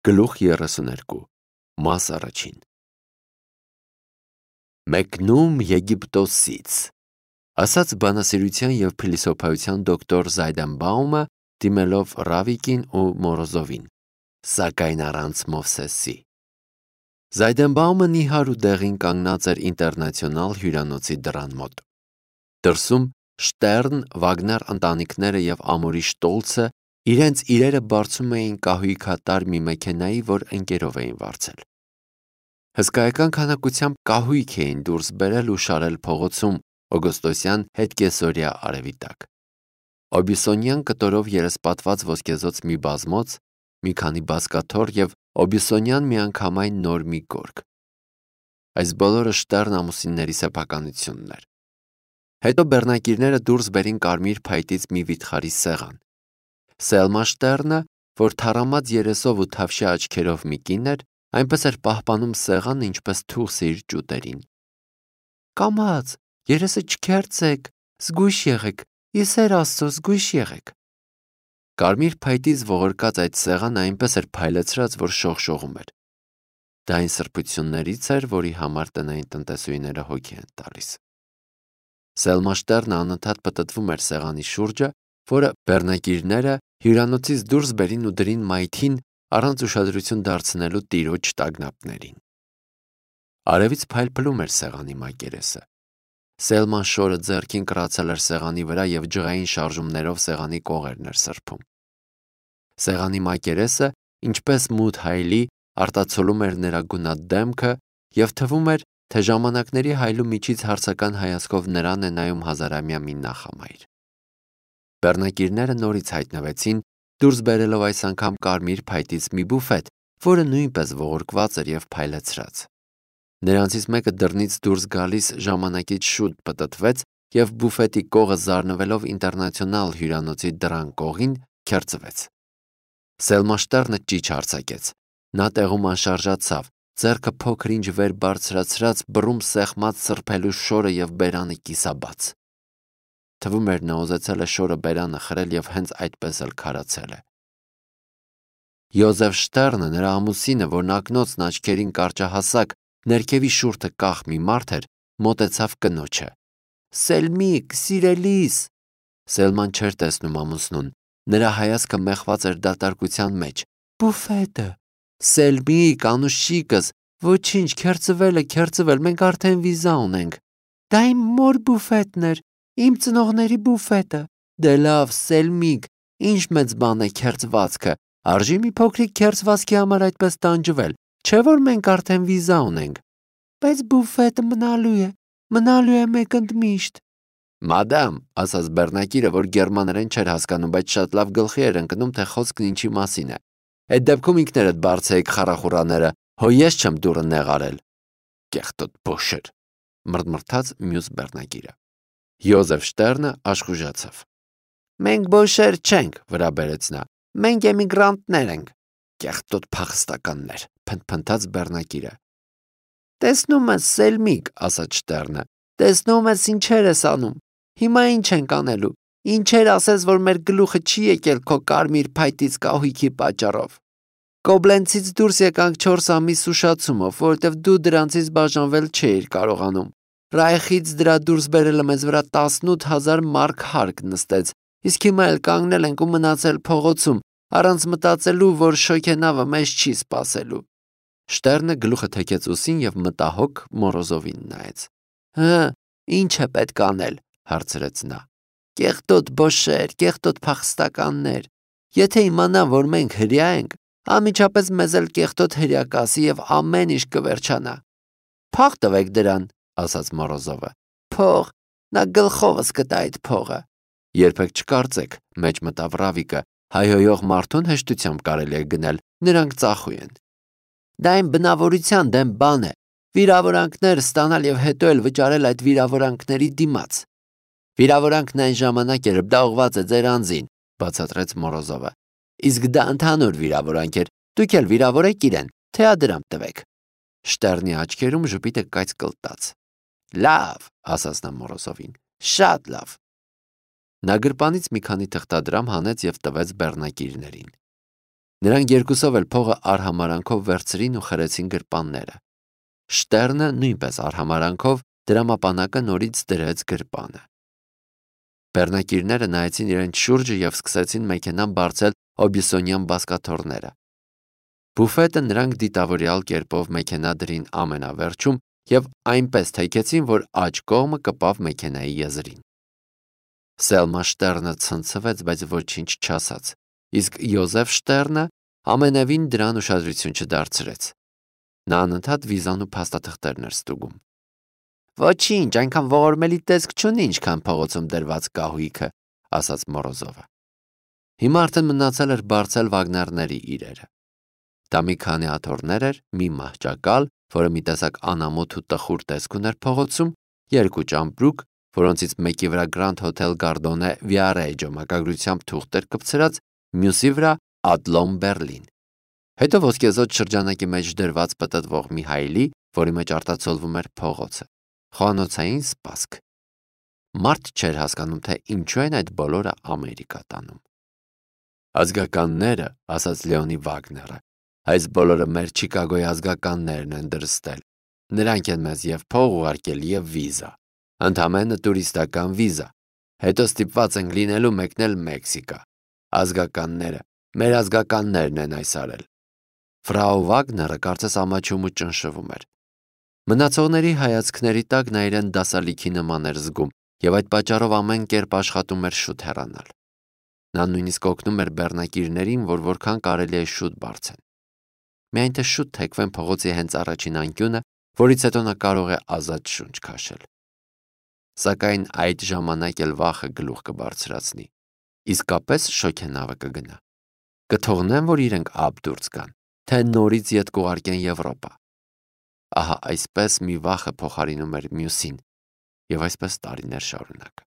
Գլուխ 32 Մաս առաջին Մեկնում Եգիպտոսից ասաց բանասիրության և փիլիսոփայության դոկտոր Զայդենբաումը դիմելով Ռավիկին ու Մորոզովին, սակայն առանց Մովսեսի։ Զայդենբաումը նիհար ու դեղին կանգնած էր ինտերնացիոնալ հյուրանոցի դռան մոտ։ Դրսում Շտերն, Վագներ ընտանիքները և Ամորի Շտոլցը իրենց իրերը բարձում էին կահույքատար մի մեքենայի, որ ընկերով էին վարձել։ Հսկայական քանակությամբ կահույք էին դուրս բերել ու շարել փողոցում օգոստոսյան հետկեսօրյա արևի տակ։ Օբիսոնյան կտորով երեսպատված ոսկեզոծ մի բազմոց, մի քանի բազկաթոռ և օբիսոնյան միանգամայն նոր մի գորգ։ Այս բոլորը Շտերն ամուսինների սեփականությունն էր։ Հետո բեռնակիրները դուրս բերին կարմիր փայտից մի վիթխարի սեղան։ Սելմա Շտերնը, որ թառամած երեսով ու թավշյա աչքերով մի կին էր, այնպես էր պահպանում սեղանը, ինչպես թուղթը իր ճուտերին։ Կամաց, երեսը չքերծեք, զգույշ եղեք, իսեր Աստծո, զգույշ եղեք։ Կարմիր փայտից ողորկած այդ սեղանը այնպես էր փայլեցրած, որ շողշողում էր։ Դա այն սրբություններից էր, որի համար տնային տնտեսուհիները հոգի են տալիս։ Սելմա Շտերնը անընդհատ պտտվում էր սեղանի շուրջը, որը բեռնակիրները հյուրանոցից դուրս բերին ու դրին մայթին առանց ուշադրություն դարձնելու տիրոջ տագնապներին։ Արևից փայլփլում էր սեղանի մակերեսը։ Սելման շորը ձեռքին կրացել էր սեղանի վրա և ջղային շարժումներով սեղանի կողերն էր սրբում։ Սեղանի մակերեսը, ինչպես մութ հայլի, արտացոլում էր նրա գունատ դեմքը և թվում էր, թե ժամանակների հայլու միջից հարցական հայացքով նրան է նայում հազարամյա մի նախամայր։ Բեռնակիրները նորից հայտնվեցին, դուրս բերելով այս անգամ կարմիր փայտից մի բուֆետ, որը նույնպես ողորկված էր և փայլեցրած։ Նրանցից մեկը դռնից դուրս գալիս ժամանակից շուտ պտտվեց և բուֆետի կողը զարնվելով ինտերնացիոնալ հյուրանոցի դռան կողին քերծվեց։ Սելմա Շտերնը ճիչ արձակեց։ Նա տեղում անշարժացավ, ձեռքը փոքր-ինչ վեր բարձրացրած բռում սեղմած սրբելու շորը և բերանը կիսաբաց։ Թվում էր նա ուզեցել է շորը բերանը խրել և հենց այդպես էլ քարացել է։ Յոզեֆ Շտերնը, նրա ամուսինը, որն ակնոցն աչքերին կարճահասակ, ներքևի շուրթը կախ մի մարդ էր, մոտեցավ կնոջը։ Սելմիկ, սիրելիս։ Սելման չէր տեսնում ամուսնուն։ Նրա հայացքը մեխված էր դատարկության մեջ։ Բուֆետը։ Սելմիկ, անուշիկս, ոչինչ, քերծվել, մենք արդեն վիզա ունենք։ Դա իմ մոր բուֆետն էր, իմ ծնողների բուֆետը։ Դե լավ, Սելմիկ, ինչ մեծ բան է քերծվածքը, արժի մի փոքրիկ քերծվածքի համար այդպես տանջվել, չէ՞ որ մենք արդեն վիզա ունենք։ Բայց բուֆետը մնալու է մեկ ընդմիշտ։ Մադամ, ասաց բեռնակիրը, որ գերմաներեն չէր հասկանում, բայց շատ լավ գլխի էր ընկնում, թե խոսքն ինչի մասին է։ Այդ դեպքում ինքներդ բարձեիք խարախուրաները, հո ես չեմ դուռը նեղարել։ Կեղտոտ բոշեր, մռթմռթաց մյուս բեռնակիրը։ Յոզեֆ Շտերնը աշխուժացավ։ Մենք բոշեր չենք, վրա բերեց նա։ Մենք էմիգրանտներ ենք։ Կեղտոտ փախստականներ, փնթփնթաց բեռնակիրը։ Տեսնում ես, Սելմիկ, ասաց Շտերնը, տեսնում ես ինչեր ես անում։ Հիմա ինչ ենք անելու։ Ինչեր ասես, որ մեր գլուխը չի եկել քո կարմիր փայտից կահույքի պատճառով։ Կոբլենցից դուրս եկանք 4 ամիս ուշացումով, որովհետև դու դրանցից բաժանվել չէիր կարողանում։ Ռայխից դրա դուրս բերելը մեզ վրա 18,000 մարկ հարկ նստեց, իսկ հիմա էլ կանգնել ենք ու մնացել փողոցում, առանց մտածելու, որ շոգենավը մեզ չի սպասելու։ Շտերնը գլուխը թեքեց ուսին և մտահոգ Մորոզովին նայեց։ Ինչ է պետք անել, հարցրեց նա։ Կեղտոտ բոշեր, կեղտոտ փախստականներ։ Եթե իմանան, որ մենք հրեա ենք, անմիջապես մեզ էլ կեղտոտ հրեա կասի և ամեն ինչ կվերջանա։ Փող տվեք դրան, ասաց Մորոզովը։ Փող, նա գլխովս կտա այդ փողը։ Երբեք չկարծեք, մեջ մտավ Ռավիկը, հայհոյող մարդուն հեշտությամբ կարելի է գնել, նրանք ծախույ են։ Դա այն բնավորության դեմ բան է, վիրավորանքներ ստանալ և հետո էլ վճարել այդ վիրավորանքների դիմաց։ Վիրավորանքն այն ժամանակ էր, դա ուղված է ձեր անձին, բացատրեց Մորոզովը։ Իսկ դա ընդհանուր վիրավորանք էր, դուք էլ վիրավորեք իրեն, թե ադրամ տվեք։ Շտերնի աչքերում ժպիտը կայծ կլտաց։ Լավ, ասաց նա Մորոզովին, շատ լավ։ Նա գրպանից մի քանի թղթադրամ հանեց և տվեց բեռնակիրներին։ Նրանք երկուսով էլ փողը արհամարանքով վերցրին ու խրեցին գրպանները։ Շտերնը նույնպես արհամարանքով դրամապանակը նորից դրեց գրպանը։ Բեռնակիրները նայեցին իրենց շուրջը և սկսեցին մեքենան բարձել օբյուսոնյան բազկաթոռները։ Բուֆետը նրանք դիտավորյալ կերպով մեքենա դրին ամենավերջում և այնպես թեքեցին, որ աջ կողմը կպավ մեքենայի եզրին։ Սելմա Շտերնը ցնցվեց, բայց ոչինչ չասաց, իսկ Յոզեֆ Շտերնը ամենևին դրան ուշադրություն չդարձրեց։ Նա անընդհատ վիզան ու փաստաթղթերն էր ստուգում։ Ոչինչ, այնքան ողորմելի տեսք չունի, ինչքան փողոցում դրված կահույքը, ասաց Մորոզովը։ Հիմա արդեն մնացել էր բարձել վագներների իրերը։ Դա մի քանի աթոռներ էր, մի մահճակալ, որը մի տեսակ անամոթ ու տխուր տեսք ուներ փողոցում, երկու ճամպրուկ, որոնցից մեկի վրա Grand Hotel Gardone Viareggio մակագրությամբ թուղթ էր կպցրած, մյուսի վրա Adlon Berlin։ Հետո ոսկեզօծ շրջանակի մեջ դրված պտտվող մի հայլի, որի մեջ արտացոլվում էր փողոցը։ Խոհանոցային սպասք։ Մարդ չէր հասկանում, թե ինչու են այդ բոլորը Ամերիկա տանում։ Ազգականները, ասաց Լեոնի Վագները, այս բոլորը մեր Չիկագոյի ազգականներն են դրստել։ Նրանք են մեզ և փող ուղարկել և վիզա, ընդամենը տուրիստական վիզա, հետո ստիպված ենք լինելու մեկնել Մեքսիկա։ Ազգականները, մեր ազգականներն են այս արել։ Ֆրաու Վագները կարծես ամաչում ու ճնշվում էր։ Մնացողների հայացքների տակ նա իրեն դասալիքի նման էր զգում և այդ պատճառով ամեն կերպ աշխատում էր շուտ հեռանալ։ Նա նույնիսկ օգնում էր բեռնակիրներին, որ որքան կարելի է շուտ բարձեն։ Միայն թե շուտ թեքվեն փողոցի հենց առաջին անկյունը, որից հետո նա կարող է ազատ շունչ քաշել։ Սակայն այդ ժամանակ էլ վախը գլուխ կբարձրացնի։ Իսկապես շոգենավը կգնա։ Կթողնեն, որ իրենք ափ դուրս գան, թե նորից ետ կուղարկեն Եվրոպա։ Ահա այսպես մի վախը փոխարինում էր մյուսին, և այսպես տարիներ շարունակ։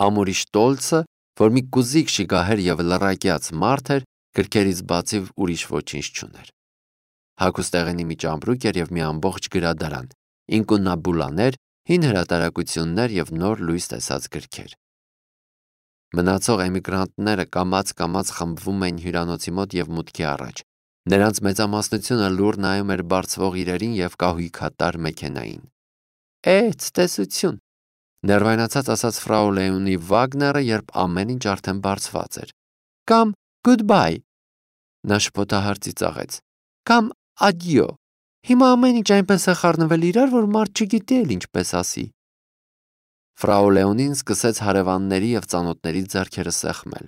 Ամուրի Շտոլցը, որ մի կուզիկ շիգահեր և լռակյաց մարդ էր, գրքերից բացի ուրիշ ոչինչ չուներ։ Հագուստեղենի մի ճամպրուկ էր և մի ամբողջ գրադարան, ինկունաբուլաներ, հին հրատարակություններ և նոր լույս տեսած գրքեր։ Մնացող էմիգրանտները կամաց-կամաց խմբվում էին հյուրանոցի մոտ և մուտքի առաջ։ Նրանց մեծամասնությունը լուռ նայում էր բարձվող իրերին և կահույքատար մեքենային։ Ցտեսություն, ներվայնացած ասաց ֆրау Լեոնի Վագները, երբ ամեն ինչ արդեն բարձված էր։ Կամ goodbye, նա շփոթահար ծիծաղեց։ Կամ adieu։ Հիմա ամեն ինչ այնպես է խառնվել իրար, որ մարդ չգիտի էլ ինչպես ասի։ Ֆրау Լեոնին սկսեց հարևանների և ծանոթների ձեռքերը սեղմել։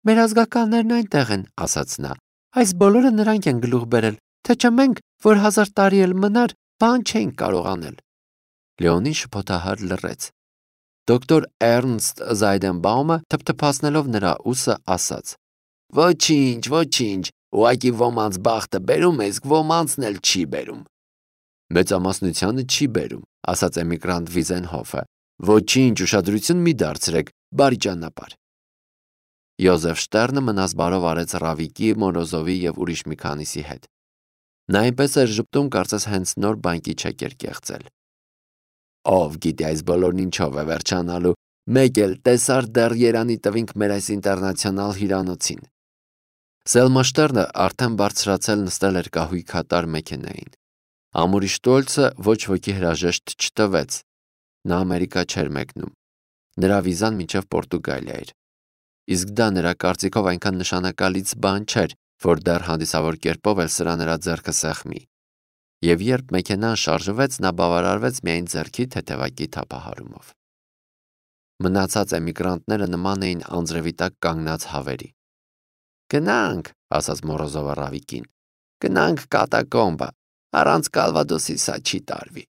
Մեր ազգականներն այնտեղ են, ասաց նա։ Այս բոլորը նրանք են գլուխ բերել, թե չէ մենք, որ 1000 տարի էլ մնար, բան չէինք կարող անել։ Լեոնին շփոթահար լռեց։ Դոկտոր Էրնստ Զայդենբաումը թփթփացնելով նրա ուսը ասաց. Ոչինչ, ոչինչ, ուղղակի ոմանց բախտը բերում է, իսկ ոմանցն էլ չի բերում։ Մեծամասնությանը չի բերում, ասաց էմիգրանտ Վիզենհոֆը։ Ոչինչ, ուշադրություն մի դարձրեք, բարի ճանապարհ։ Յոզեֆ Շտերնը մնաց բարով արեց Ռավիկի, Մորոզովի և ուրիշ մի քանիսի հետ։ Նա այնպես էր ժպտում, կարծես հենց նոր բանկի չեկ էր կեղծել։ Ով գիտի այս բոլորն ինչով է վերջանալու, մեկ էլ տեսար դեռ երանի տվինք մեր այս ինտերնացիոնալ հյուրանոցին։ Սելմա Շտերնը արդեն բարձրացել նստել էր կահույքատար մեքենային։ Ամուրի Շտոլցը ոչ ոքի հրաժեշտ չտվեց։ Նա Ամերիկա չէր մեկնում։ Նրա վիզան մինչև Պորտուգալիա էր։ Իսկ դա նրա կարծիքով այնքան նշանակալից բան չէր, որ դեռ հանդիսավոր կերպով էլ սրա նրա ձեռքը սեղմի։ Եվ երբ մեքենան շարժվեց, նա բավարարվեց միայն ձեռքի թեթևակի թափահարումով։ Մնացած էմիգրանտները նման էին անձրևի տակ կանգնած հավերի։ Գնանք, ասաց Մորոզովը Ռավիկին։ Գնանք կատակոմբը, առանց Կալվադոսի սա չի տարվի։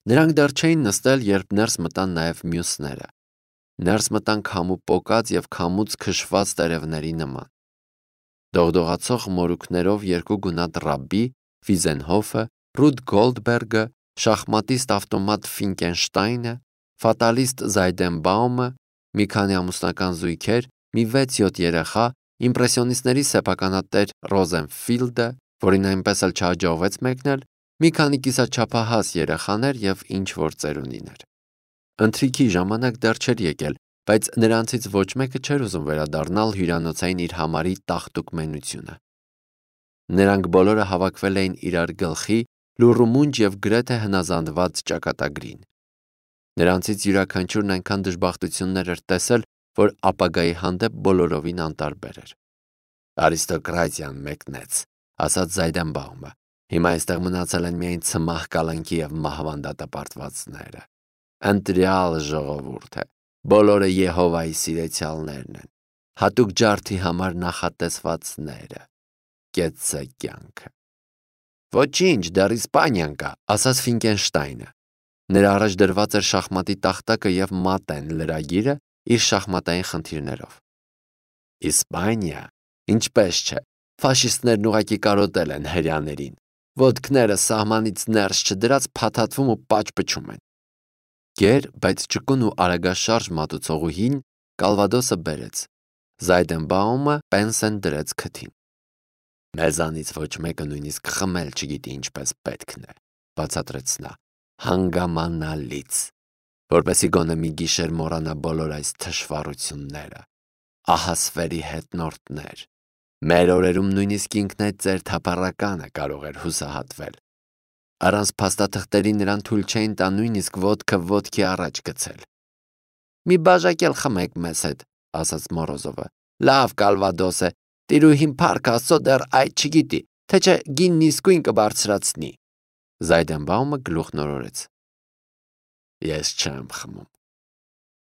Նրանք դեռ չէին նստել, երբ ներս մտան նաև մյուսները։ Ներս մտան քամու պոկած և քամուց քշված տերևների նման։ Դողդողացող մորուքներով երկու գունատ ռաբբի, Վիզենհոֆը, Ռուդ Գոլդբերգը, շախմատիստ ավտոմատ Ֆինկենշտայնը, ֆատալիստ Զայդենբաումը, մի քանի ամուսնական զույգեր, մի 6-7 երեխա, իմպրեսիոնիստների սեփականատեր Ռոզենֆիլդը, որին այնպես էլ չհաջողվեց մեկնել, մի քանի կիսաչափահաս երեխաներ և ինչ-որ ծերունիներ։ Ընթրիքի ժամանակ դեռ չէր եկել, բայց նրանցից ոչ մեկը չէր ուզում վերադառնալ հյուրանոցային իր համարի տաղտուկ մենությունը։ Նրանք բոլորը հավաքվել էին իրար գլխի, լուռումունջ և գրեթե հնազանդված ճակատագրին։ Նրանցից յուրաքանչյուրն այնքան դժբախտություններ էր տեսել, որ ապագայի հանդեպ բոլորովին անտարբեր էր։ «Արիստոկրատիան մեկնեց», ասաց Զայդենբաումը։ «Հիմա այստեղ մնացել են միայն ցմահ կալանքի և մահվան դատապարտվածները։ Ընտրյալ ժողովուրդ է, բոլորը Եհովայի սիրեցյալներն են, հատուկ ջարդի համար նախատեսվածները։ Կեցցե կյանքը»։ «Ոչինչ, դեռ Իսպանիան կա», ասաց Ֆինկենշտայնը։ Նրա առաջ դրված էր շախմատի տախտակը և մատեն լրագիրը իր շախմատային խնդիրներով։ «Իսպանիա, ինչպես չէ, ֆաշիստներն ուղղակի կարոտել են հրեաներին, ոտքները սահմանից ներս չդրած փաթաթվում ու պաճպճում են»։ Գեր, բայց ճկուն ու արագաշարժ մատուցողուհին կալվադոսը բերեց։ Զայդենբաումը պենսեն դրեց քթին։ «Մեզանից ոչ մեկը նույնիսկ խմել չգիտի ինչպես պետքն է», բացատրեց նա, հանգամանալից, որպեսզի գոնե մի գիշեր մոռանա բոլոր այս թշվառությունները։ Ահասվերի հետնորդներ։ Մեր օրերում նույնիսկ ինքնայծեր թափառականը կարող էր հուսահատվել։ Առանց փաստաթղթերի նրան թույլ չէին տա նույնիսկ ոտքը ոտքի առաջ գցել։ «Մի բաժակ էլ խմեք մեզ հետ», ասաց Մորոզովը։ «Լավ կալվադոս է, տիրուհին փառք Աստծո դեռ այդ չգիտի, թե չէ գինն իսկույն կբարձրացնի»։ Զայդենբաումը գլուխն օրորեց։ «Ես չեմ խմում»։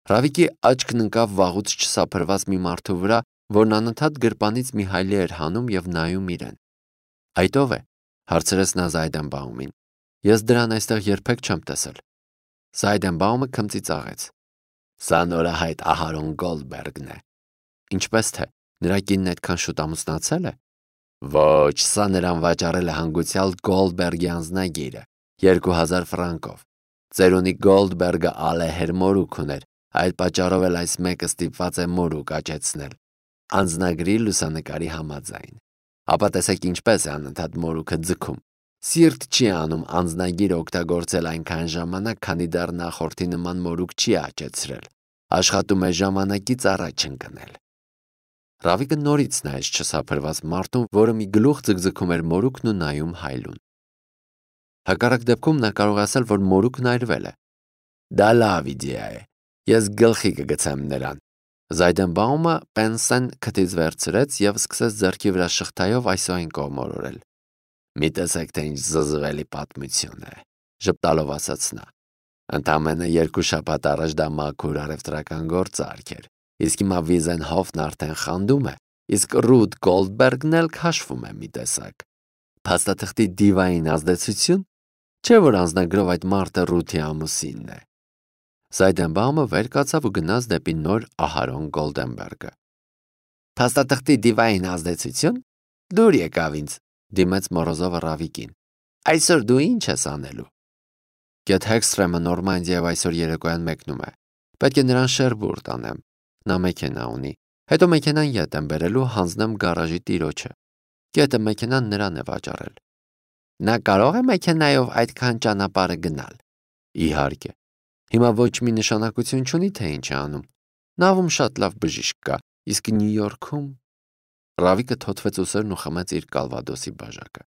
Ռավիկի աչքն ընկավ վաղուց չսափրված մի մարդու վրա, որն անընդհատ գրպանից մի հայլի էր հանում և նայում իրեն։ «Այդ ո՞վ է», հարցրեց նա Զայդենբաումին։ «Ես դրան այստեղ երբեք չեմ տեսել»։ Զայդենբաումը քմծիծաղեց։ «Սա նորահայտ Ահարոն Գոլդբերգն է»։ «Ինչպես թե, նրա կինն այդքան շուտ ամուսնացել է»։ «Ոչ, սա նրան վաճառել է հանգուցյալ Գոլդբերգի անձնագիրը, 2000 ֆրանկով։ Ծերունի Գոլդբերգը ալեհեր մորուք ուներ, այդ պատճառով էլ այս մեկը ստիպված է մորուք աճեցնել, անձնագրի լուսանկարի համաձայն։ Ապա տեսեք ինչպես է անընդհատ մորուքը ձգում։ Սիրտ չի անում անձնագիրը օգտագործել այնքան ժամանակ, քանի դեռ նախորդի նման մորուք չի աճեցրել։ Աշխատում է ժամանակից առաջ ընկնել»։ Ռավիկը նորից նայեց չսափրված մարդուն, որը մի գլուխ ձգձգում էր մորուքն ու նայում հայլուն։ Հակառակ դեպքում նա կարող է ասել, որ մորուքն այրվել է։ «Դա լավ իդեա է, ես գլխի կգցեմ նրան»։ Զայդենբաումը պենսեն քթից վերցրեց և սկսեց ձեռքի վրա շղթայով այսօ այն կողմորորել։ «Մի տեսեք, թե ինչ զզվելի պատմություն է», ժպտալով ասաց նա։ «Ընդամենը 2 շաբաթ առաջ դա մաքուր առևտրական գործարք էր, իսկ հիմա Վիզենհոֆն արդեն խանդում է, իսկ Ռութ Գոլդբերգն էլ քաշվում է մի տեսակ։ Փաստաթղթի դիվային ազդեցություն, չէ՞ որ անձնագրով այդ մարդը Ռութի ամուսինն է»։ Զայդենբաումը վեր կացավ ու գնաց դեպի նոր Ահարոն Գոլդենբերգը։ «Փաստաթղթի դիվային ազդեցություն, դուր եկավ ինձ», դիմեց Մորոզովը Ռավիկին։ «Այսօր դու ինչ ես անելու»։ Գեթ Հեքսթրեմը Նորմանդիայով այսօր երեկոյան մեկնում է։ Պետք է նրան Շերբուր տանեմ։ Նա մեքենա ունի։ Հետո մեքենան ետ եմ բերելու, հանձնեմ գարաժի տիրոջը։ Գետը մեքենան նրան է վաճառել։ Նա կարող է մեքենայով այդքան ճանապարհը գնալ։ Իհարկե։ Հիմա ոչ մի նշանակություն չունի, թե ինչ է անում։ Նավում շատ լավ բժիշկ կա, իսկ Նյու Յորքում… Ռավիկը թոթվեց ուսերն ու խմեց իր կալվադոսի բաժակը։